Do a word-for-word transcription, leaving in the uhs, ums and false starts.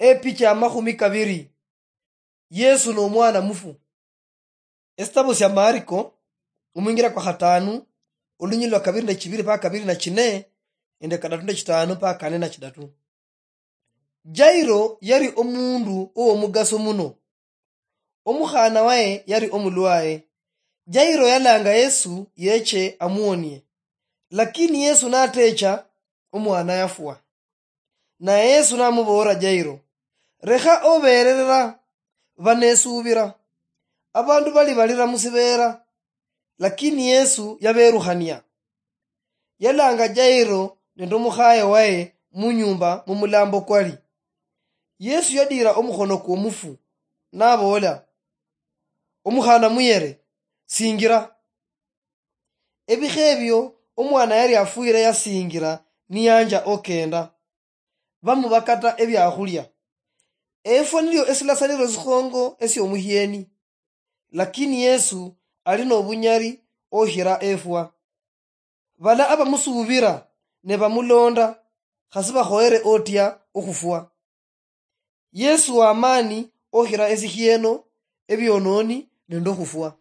Epicha ya makhumi kabiri. Yesu n'omwana mufu. Esitabu sya Mariko, omwingira kwa khatanu, olunyili lwa kabiri na chibiri mpaka kabiri na chine, nende kadatu na chitano mpaka kane na chidatu. Jairo yali omundu ow'omugaso muno. Omukhaana waye yali omulwaye. Jairo yalanga Yesu yeche amuwonie. Lakini Yesu natecha, omwana yafwa. Naye Yesu namuboolera Jairo, "Lekha obeererera, banesuubira." Abandu bali balira musibeera, lakini Yesu yabeerukhania. Yalanga Jairo nende omukhaye waye munyumba mumulambo kwali. Yesu yadiira omukhono kwomufu, naboola, "Omukhaana muyere, singira." Ebikha ebio omwana yali afwire yasingira niyanja okenda. Bamubakata ebiakhulia. Efwa nilio esilasaniro sikhongo esiomuhieni. Lakini Yesu ali nobunyali okhira efwa. Bala abamusuubira ne bamulonda, khasi bakhoyere otya okhufwa. Yesu wamani okhira esikhieno, ebiononi nende okhufwa.